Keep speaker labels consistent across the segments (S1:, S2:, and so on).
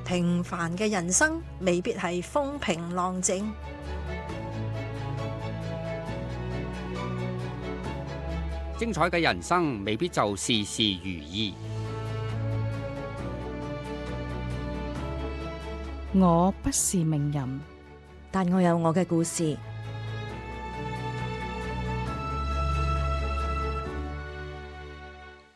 S1: 平凡嘅人生未必係風平浪靜。
S2: 精彩嘅人生未必就事事如意。
S3: 我不是名人，
S4: 但我有我嘅故事。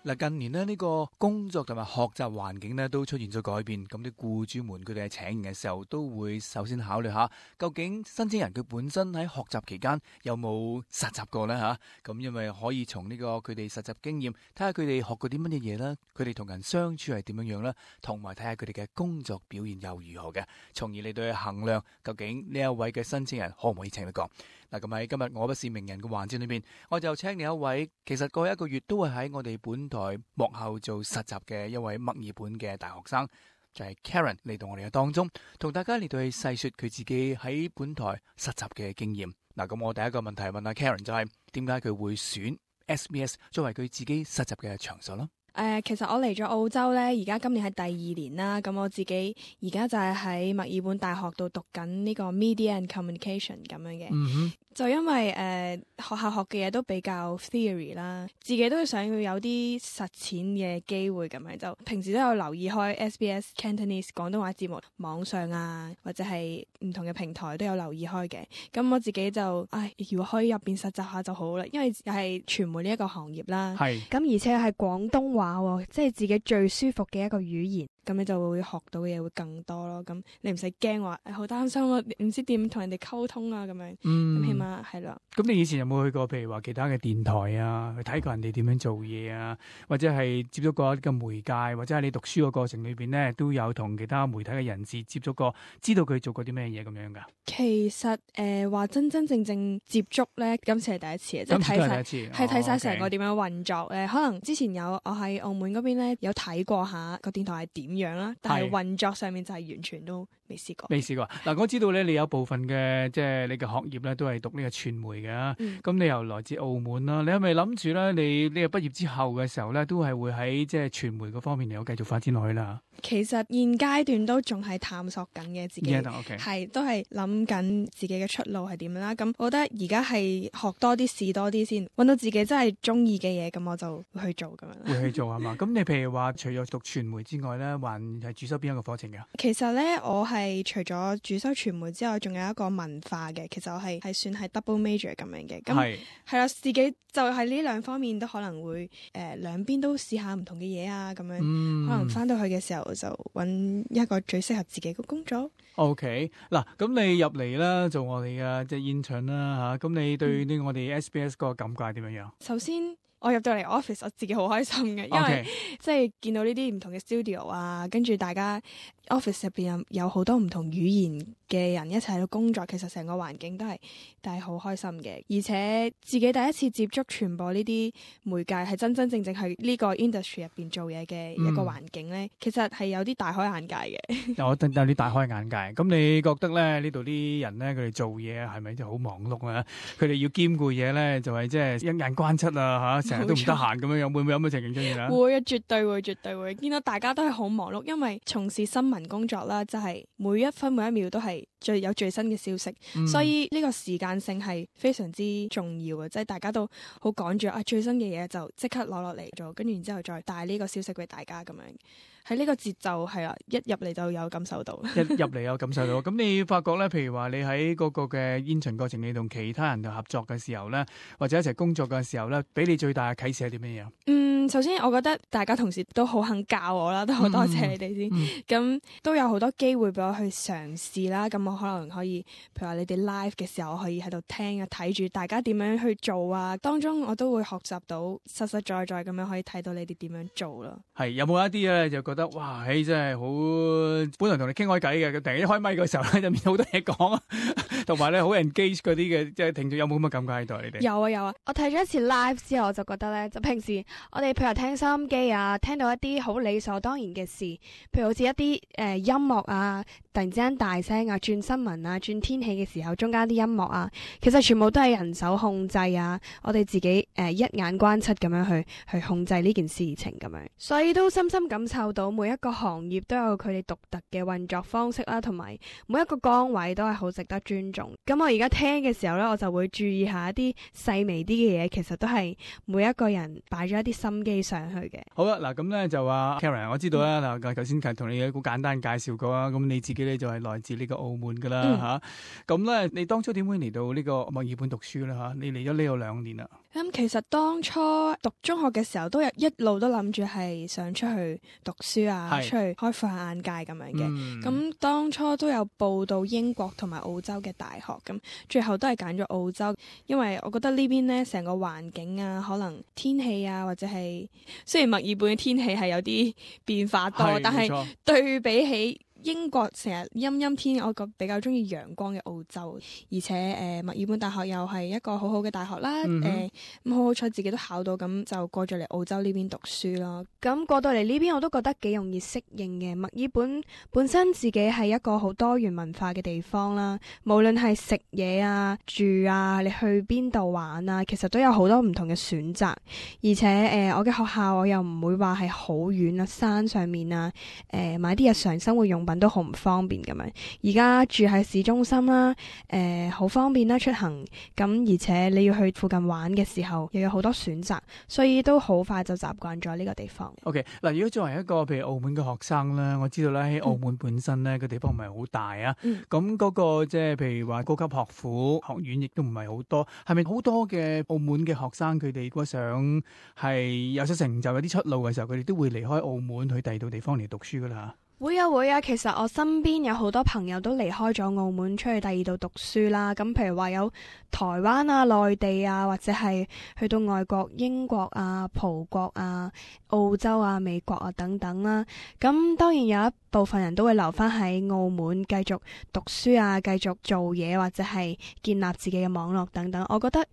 S5: 嗱，近年呢個工作同埋學習環境呢都出現咗改變，咁啲僱主們佢哋喺請人嘅時候都會首先考慮下，究竟申請人佢本身喺學習期間有冇實習過呢？嚇？咁因為可以從呢個佢哋實習經驗睇下佢哋學過啲乜嘢嘢啦，佢哋同人相處係點樣樣啦，同埋睇下佢哋嘅工作表現又如何嘅，從而嚟到去衡量究竟呢一位嘅申請人可唔可以請得過。嗱，咁喺今日我不是名人嘅環節裏邊，我就請嚟一位其實過去一個月都會喺我哋本台幕後做實習嘅一位墨爾本嘅大學生，就係 Karen 嚟到我哋嘅當中，同大家嚟到去細說佢自己喺本台實習嘅經驗。嗱，咁我第一個問題問阿 Karen 就係點解佢會選 SBS 作為佢自己實習嘅場所啦？
S6: 其實我嚟咗澳洲咧，而家今年係第2年啦。咁我自己而家就係喺墨爾本大學度讀緊呢個 Media and Communication 咁樣嘅。就因為學校學嘅嘢都比較 theory 啦，自己都想要有啲實踐嘅機會咁樣，就平時都有留意開 SBS Cantonese 廣東話節目，網上啊或者係唔同嘅平台都有留意開嘅。咁我自己就如果可以入邊實習下就好啦，因為又係傳媒呢一個行業啦。
S3: 係咁，而且係廣東話喎，即係自己最舒服嘅一個語言。咁你就會學到嘅嘢會更多咯，咁你唔使驚話好擔心我唔知點同人哋溝通啊咁樣，咁起碼係啦。
S5: 咁你以前有冇去過譬如話其他嘅電台啊，去睇過人哋點樣做嘢啊，或者係接觸過一個媒介，或者係你讀書嘅過程裏邊呢，都有同其他媒體嘅人士接觸過，知道佢做過啲咩嘢咁樣噶？
S6: 其實話真真正正接觸咧，今次係第一次嘅，即係睇晒成個點樣運作咧。可能之前我喺澳門嗰邊咧有睇過下個電台係點樣啦，但係運作上面就係完全都未試過。嗱，我知道咧，你有部分嘅即係你嘅學業咧，都係讀呢個傳媒嘅。咁你又來自澳門啦，你係咪諗住咧，你呢個畢業之後嘅時候咧，都係會喺即係傳媒嗰方面嚟有繼續發展落去啦？其實現階段都仲係探索緊嘅自己，係都係諗緊自己嘅出路係點樣啦。咁我覺得而家係學多啲試多啲先，揾到自己真係中意嘅嘢，咁我就會去做咁樣。
S5: 會去做係嘛？咁你譬如話，除咗讀傳媒之外咧，還係主修邊一個課程㗎？
S6: 其實咧，我係除咗主修傳媒之外，仲有一個文化嘅。其實我係算係 double major 咁樣嘅。咁係啦，自己就係呢兩方面都可能會兩邊都試下唔同嘅嘢啊，咁樣可能翻到去嘅時候就揾一個最適合自己嘅工作。
S5: OK， 嗱，咁你入嚟啦，做我哋嘅即係 intern 啦嚇，咁你對呢我哋 SBS 個感覺係點樣樣？
S6: 首先，我入到嚟 office， 我自己好開心嘅，因為即係見到呢啲唔同嘅 studio 啊，跟住大家 office 入邊有好多唔同語言嘅人一齊喺度工作，其實成個環境都係好開心嘅，而且自己第一次接觸傳播呢啲媒介，係真真正正係呢個 industry 入邊做嘢嘅一個環境咧，其實係有啲大開眼界嘅。
S5: 有啲大開眼界。咁你覺得咧呢度啲人咧，佢哋做嘢係咪真係好忙碌啊？佢哋要兼顧嘢咧，就係即係一眼關七啊嚇，成日都唔得閒咁樣樣，會唔會有咁嘅情形出現啊？
S6: 會啊，絕對會。見到大家都係好忙碌，因為從事新聞工作啦，就係每一分每一秒都係有最新嘅消息，所以呢個時間性係非常之重要嘅，即係大家都好趕住最新嘅嘢就即刻攞落嚟做，跟住然之後再帶呢個消息俾大家咁樣。喺呢個節奏係啦，一入嚟就有感受到。
S5: 一入嚟有感受到。咁你發覺咧，譬如話你喺嗰個嘅 intern 過程，你同其他人合作嘅時候咧，或者一齊工作嘅時候咧，俾你最大嘅啟示係啲咩嘢？
S6: 首先我覺得大家同事都好肯教我啦，都好多謝你哋先。咁都有好多機會俾我去嘗試啦。咁我可能可以，譬如話你哋 live 嘅時候，我可以喺度聽啊，睇住大家點樣去做啊。當中我都會學習到實實在在咁樣可以睇到你哋點樣做咯。
S5: 係有冇一啲咧就覺得哇，真係好，本來同你傾開偈嘅，突然一開咪嘅時候咧，就變好多嘢講啊，同埋咧好 engage 嗰啲嘅，即係聽眾有冇咁嘅感覺喺度？你哋
S3: 有啊，我睇咗一次 live 之後，我就覺得咧，就平時我哋譬如聽收音機啊，聽到一啲好理所當然嘅事，譬如好似一啲音樂啊，突然之間大聲啊，轉新聞啊，轉天氣嘅時候，中間啲音樂啊，其實全部都係人手控制啊，我哋自己一眼關七咁樣去控制呢件事情咁樣，所以都深深感受到到每一個行業都有佢哋獨特嘅運作方式啦，同埋每一個崗位都係好值得尊重。咁我而家聽嘅時候咧，我就會注意下一啲細微啲嘅嘢，其實都係每一個人擺咗一啲心機上去嘅。
S5: 好啦，嗱咁咧就話 Karen， 我知道啦，嗱頭先同你好簡單介紹過啦，咁你自己咧就係來自呢個澳門噶啦吓，咁咧你當初點會嚟到呢個墨爾本讀書咧吓？你嚟咗呢度2年啦。
S6: 其實當初讀中學嘅時候，都有一路都諗住係想出去讀書啊，出去開闊下眼界咁樣嘅。咁當初都有報到英國同埋澳洲嘅大學，咁最後都係揀咗澳洲，因為我覺得呢邊呢成個環境啊，可能天氣啊，或者係雖然墨爾本嘅天氣係有啲變化多，但係對比起英國成日陰陰天，我比較中意陽光嘅澳洲，而且墨爾本大學又係一個好好嘅大學啦。咁好彩自己都考到，咁就過咗嚟澳洲呢邊讀書咯。
S3: 咁過到嚟呢邊我都覺得幾容易適應嘅。墨爾本本身自己係一個好多元文化嘅地方啦，無論係食嘢啊、住啊，你去邊度玩啊，其實都有好多唔同嘅選擇。而且我嘅學校我又唔會話係好遠啊，山上面啊，買啲日常生活用品都好唔方便咁樣。而家住喺市中心啦，好方便啦出行，咁而且你要去附近玩嘅時候又有好多選擇，所以都好快就習慣咗呢個地方。
S5: OK， 嗱，如果作為一個譬如澳門嘅學生咧，我知道咧喺澳門本身咧個地方唔係好大啊，咁嗰個即係譬如話高級學府學院亦都唔係好多，係咪好多嘅澳門嘅學生佢哋如果想係有咗成就有啲出路嘅時候，佢哋都會離開澳門去第二度地方嚟讀書噶啦？
S3: 會啊，其實我身邊有好多朋友都離開咗澳門出去第二度讀書啦。咁譬如話有台灣啊、內地啊，或者係去到外國英國啊、葡國啊、澳洲啊、美國啊等等啦。咁當然有一部分人都會留翻喺澳門繼續讀書啊，繼續做嘢，或者係建立自己嘅網絡等等。我覺得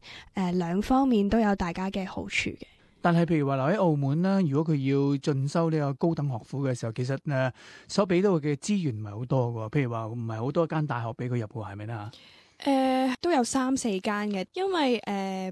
S3: 兩方面都有大家嘅好處嘅。
S5: 但係譬如話留喺澳門啦，如果佢要進修呢個高等學府嘅時候，其實所俾到嘅資源唔係好多嘅，譬如話唔係好多間大學俾佢入嘅，係咪啦？
S6: 都有3-4間嘅，因為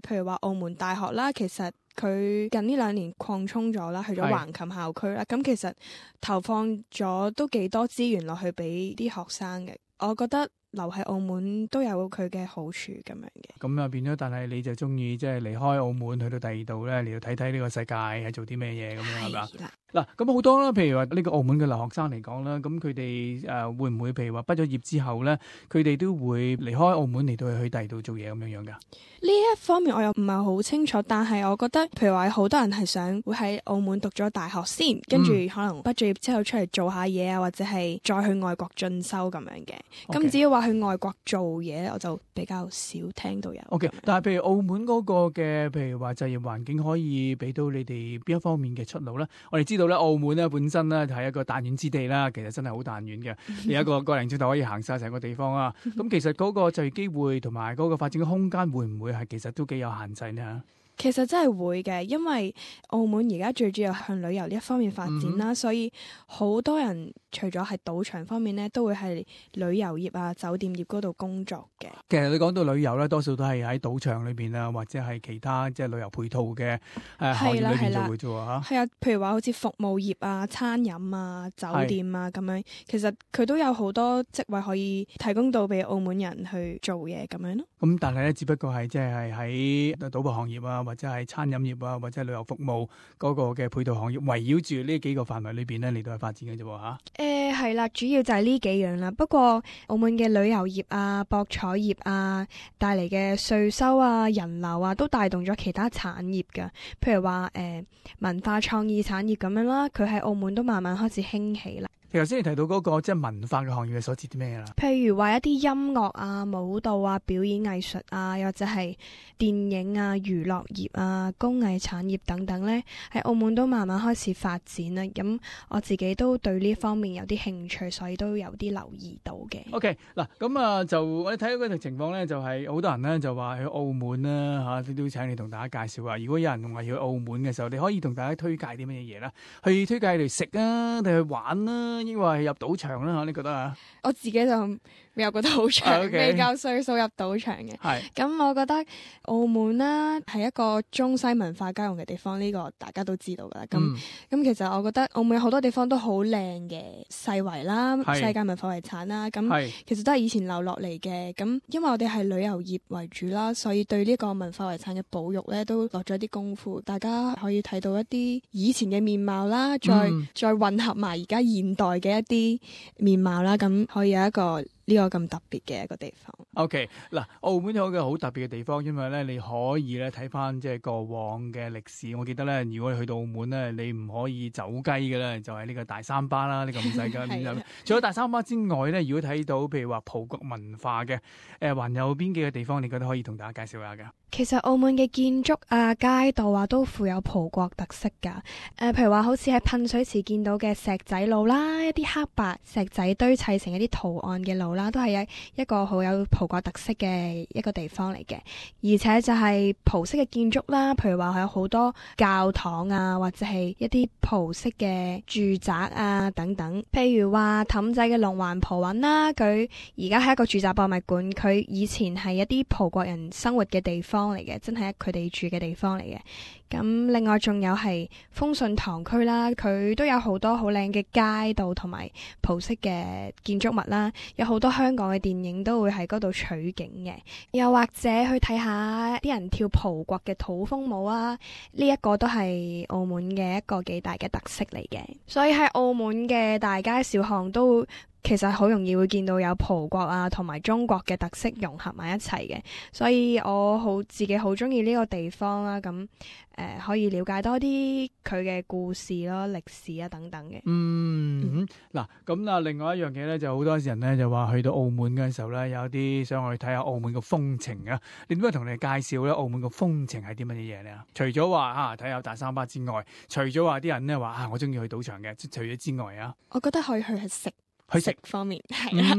S6: 譬如話澳門大學啦，其實佢近呢2年擴充咗啦，去咗橫琴校區啦，咁其實投放咗都幾多資源落去俾啲學生嘅，我覺得留喺澳門都有佢嘅好處咁樣嘅。
S5: 咁啊變咗，但係你就中意即係離開澳門去到第二度咧，嚟到睇睇呢個世界係做啲咩嘢咁樣係嘛？嗱，咁好多啦，譬如話呢個澳門嘅留學生嚟講啦，咁佢哋會唔會譬如話畢咗業之後咧，佢哋都會離開澳門嚟到去第二度做嘢咁樣樣噶？
S6: 呢一方面我又唔係好清楚，但係我覺得譬如話好多人係想會喺澳門讀咗大學先，跟住可能畢咗業之後出嚟做下嘢啊，或者係再去外國進修咁樣嘅。咁只要話去外國做嘢，我就比較少聽到有。
S5: OK， 但係譬如澳門嗰個嘅譬如話就業環境可以俾到你哋邊一方面嘅出路咧？我哋知道咧，澳門咧本身咧係一個彈丸之地啦，其實真係好彈丸嘅，有一個個零鐘頭可以行晒成個地方啊。咁其實嗰個就業機會同埋嗰個發展嘅空間會唔會係其實都幾有限制呢？
S6: 其實真係會嘅，因為澳門而家最主要向旅遊呢一方面發展啦，所以好多人除咗係賭場方面咧，都會係旅遊業啊、酒店業嗰度工作嘅。其實
S5: 你講到旅遊咧，多數都係喺賭場裏邊啊，或者係其他即係旅遊配套嘅行業裏邊做嘅啫喎嚇。係啊，
S6: 譬如話好似服務業啊、餐飲啊、酒店啊咁樣，其實佢都有好多職位可以提供到俾澳門人去做嘢咁樣咯。
S5: 咁但係咧，只不過係即係喺賭博行業啊，或者係餐飲業啊，或者係旅遊服務嗰個嘅配套行業，圍繞住呢幾個範圍裏邊咧嚟到去發展嘅啫喎嚇。
S3: 係啦，主要就係呢幾樣啦。不過澳門嘅旅遊業啊、博彩業啊帶嚟嘅稅收啊、人流啊，都帶動咗其他產業㗎。譬如話文化創意產業咁樣啦，佢喺澳門都慢慢開始興起啦。
S5: 頭先你提到嗰個即係文化嘅行業係所指啲咩啦？
S3: 譬如話一啲音樂啊、舞蹈啊、表演藝術啊，又或者係電影啊、娛樂業啊、工藝產業等等咧，喺澳門都慢慢開始發展啦。咁我自己都對呢方面有啲興趣，所以都有啲留意到嘅。
S5: OK， 嗱咁啊，就我哋睇到嗰條情況咧，就係好多人咧就話去澳門啦嚇，都請你同大家介紹下。如果有人話要去澳門嘅時候，你可以同大家推介啲乜嘢嘢啦？去推介嚟食啊，定去玩啊？啦，抑或係入賭場啦？你覺得啊？
S6: 我自己就未有個賭場，
S5: Okay
S6: 未夠歲數入賭場嘅。
S5: 係
S6: 咁我覺得澳門啦係一個中西文化交融嘅地方，呢個大家都知道噶啦。咁其實我覺得澳門有好多地方都好靚嘅，世遺啦、
S5: 係
S6: 世界文化遺產啦。咁其實都係以前留落嚟嘅。咁因為我哋係旅遊業為主啦，所以對呢個文化遺產嘅保育咧都落咗啲功夫。大家可以睇到一啲以前嘅面貌啦，再混合埋而家現代嘅一啲面貌啦，咁可以有一個呢個咁特別嘅一個地方。
S5: OK， 嗱，澳門有一個好特別嘅地方，因為咧你可以咧睇翻即係過往嘅歷史。我記得咧，如果你去到澳門咧，你唔可以走雞嘅咧，就係呢個大三巴啦，呢個唔使㗎。除咗大三巴之外咧，如果睇到譬如話葡國文化嘅，還有邊幾個地方你覺得可以同大家介紹下㗎？
S3: 其實澳門嘅建築啊、街道啊都富有葡國特色㗎。譬如話好似喺噴水池見到嘅石仔路啦，一啲黑白石仔堆砌成一啲圖案嘅路啦，都係一個好有葡國特色嘅一個地方嚟嘅。而且就係葡式嘅建築啦，譬如話有好多教堂啊，或者係一啲葡式嘅住宅啊等等。譬如話氹仔嘅龍環葡韻啦，佢而家係一個住宅博物館，佢以前係一啲葡國人生活嘅地方嚟嘅，真係佢哋住嘅地方嚟嘅。咁另外仲有係豐順堂區啦，佢都有好多好靚嘅街道同埋葡式嘅建築物啦，有好多香港嘅電影都會喺嗰度取景嘅。又或者去睇下啲人跳葡國嘅土風舞啊，呢一個都係澳門嘅一個幾大嘅特色嚟嘅。所以喺澳門嘅大街小巷都其實好容易會見到有葡國啊同埋中國嘅特色融合埋一齊嘅，所以我自己好中意呢個地方啦。咁可以了解多啲佢嘅故事咯、歷史啊等等嘅。
S5: 嗱咁啊，另外一樣嘢咧，就好多人咧就話去到澳門嘅時候咧，有啲想去睇下澳門嘅風情啊。你點解同你介紹咧？澳門嘅風情係啲乜嘢嘢咧？除咗話睇下大三巴之外，除咗話啲人咧話我中意去賭場嘅，除咗之外啊，
S6: 我覺得可以去食。
S5: 去食
S6: 方面係啦，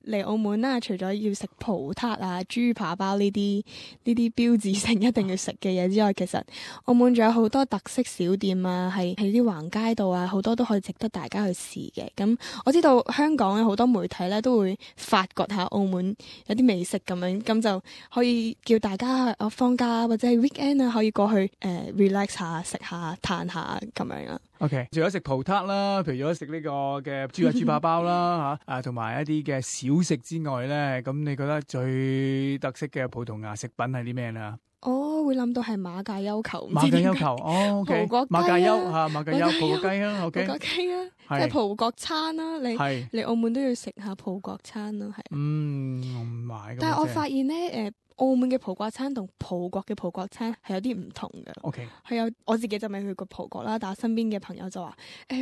S6: 嚟澳門啦，除咗要食葡撻啊、豬扒包呢啲標誌性一定要食嘅嘢之外，其實澳門仲有好多特色小店啊，係啲橫街道啊，好多都可以值得大家去試嘅。咁我知道香港有好多媒體咧都會發掘下澳門有啲美食咁樣，咁就可以叫大家放假或者係 weekend 啊，可以過去relax 下、食下、嘆下咁樣啦。
S5: OK， 除咗食葡撻啦，譬如咗食呢個嘅豬扒包啦同埋一啲嘅小食之外咧，咁你覺得最特色嘅葡萄牙食品係啲咩咧？
S6: 我會諗到係馬介休球，
S5: 馬介休球，OK， 馬介休馬介休葡國雞啊，OK， 葡國雞啊，
S6: 即係葡國餐啦，你嚟澳門都要食下葡國餐啦，係。
S5: 我唔買。
S6: 但係我發現咧，澳門嘅葡國餐同葡國嘅葡國餐係有啲唔同嘅。
S5: OK，
S6: 係有我自己就未去過葡國啦，但係身邊嘅朋友就話，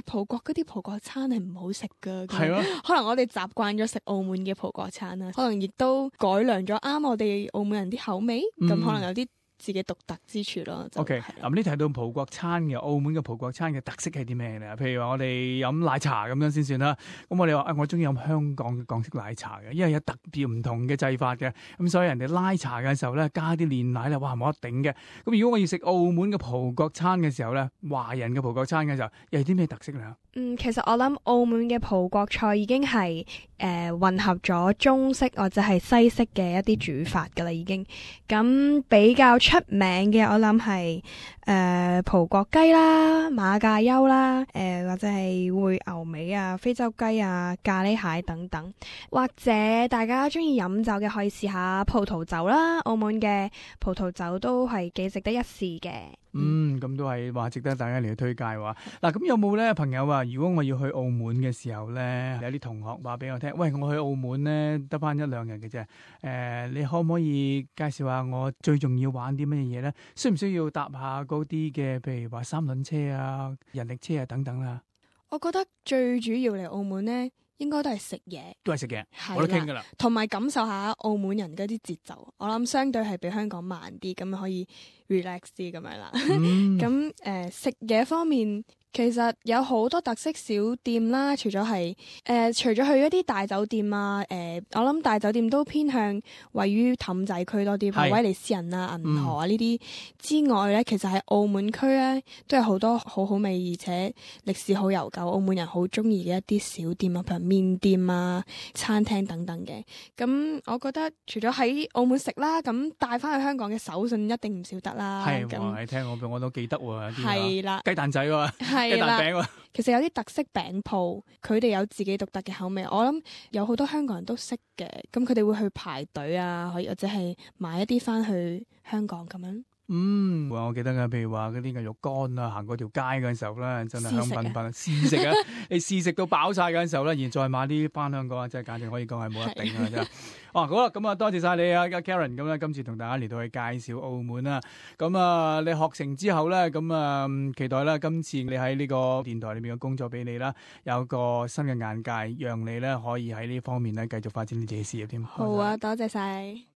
S6: 葡國嗰啲葡國餐係唔好食噶。係咯，可能我哋習慣咗食澳門嘅葡國餐啦，可能亦都改良咗啱我哋澳門人啲口味，咁可能有啲自己獨特之處咯。
S5: OK， 咁你提到葡國餐嘅，澳門嘅葡國餐嘅特色係啲咩咧？譬如話我哋飲奶茶咁樣先算啦。咁我哋話我中意飲香港嘅港式奶茶嘅，因為有特別唔同嘅製法嘅。咁所以人哋拉茶嘅時候咧，加啲煉奶咧，哇冇得頂嘅。咁如果我要食澳門嘅葡國餐嘅時候咧，華人嘅葡國餐嘅時候，又係啲咩特色咧？
S3: 其實我諗澳門嘅葡國菜已經係混合咗中式或者係西式嘅一啲煮法噶啦，已經。咁比較出名嘅我諗係葡國雞啦、馬介休啦，或者係燴牛尾啊、非洲雞啊、咖喱蟹等等。或者大家中意飲酒嘅可以試下葡萄酒啦，澳門嘅葡萄酒都係幾值得一試嘅。
S5: 咁都係話值得大家嚟去推介話。嗱，咁有冇咧朋友話，如果我要去澳門嘅時候咧，有啲同學話俾我聽，喂，我去澳門咧得翻1-2日嘅啫，你可唔可以介紹下我最重要玩啲乜嘢咧？需唔需要搭下嗰啲嘅，譬如話三輪車啊、人力車啊等等啦？
S6: 我覺得最主要嚟澳門咧，應該都係食嘢，
S5: 都係食嘢，我都傾噶啦，
S6: 同埋感受下澳門人嗰啲節奏。我諗相對係比香港慢啲，咁可以 relax 啲咁樣啦。咁食嘢方面，其其實有好多特色小店啦，除咗去一啲大酒店啊，我諗大酒店都偏向位於氹仔區多啲，譬如威尼斯人啊、銀河啊呢啲之外咧，其實喺澳門區咧都有好多好好味而且歷史好悠久，澳門人好中意嘅一啲小店啊，譬如麵店啊、餐廳等等嘅。咁我覺得除咗喺澳門食啦，咁帶翻去香港嘅手信一定唔少得啦。
S5: 係，你聽我都記得喎，
S6: 係啦，
S5: 雞蛋仔喎，雞蛋餅喎。
S6: 其實有啲特色餅鋪，佢哋有自己獨特嘅口味，我諗有好多香港人都識嘅，咁佢哋會去排隊啊，或者係買一啲翻去香港咁樣。
S5: 我記得嘅，譬如話嗰啲嘅肉乾啊，行過條街嗰陣時候咧，真係香噴噴，試食啊！你試食到飽晒嗰陣時候咧，然再買啲翻香港啊，真係簡直可以講係冇得頂啊！真係。好啦，咁啊多謝晒你啊 Karen， 咁咧今次同大家嚟到去介紹澳門啦。咁啊，你學成之後咧，咁啊期待啦，今次你喺呢個電台裏面嘅工作俾你啦，有個新嘅眼界，讓你咧可以喺呢方面咧繼續發展你自己事業添。
S6: 好啊，多謝晒。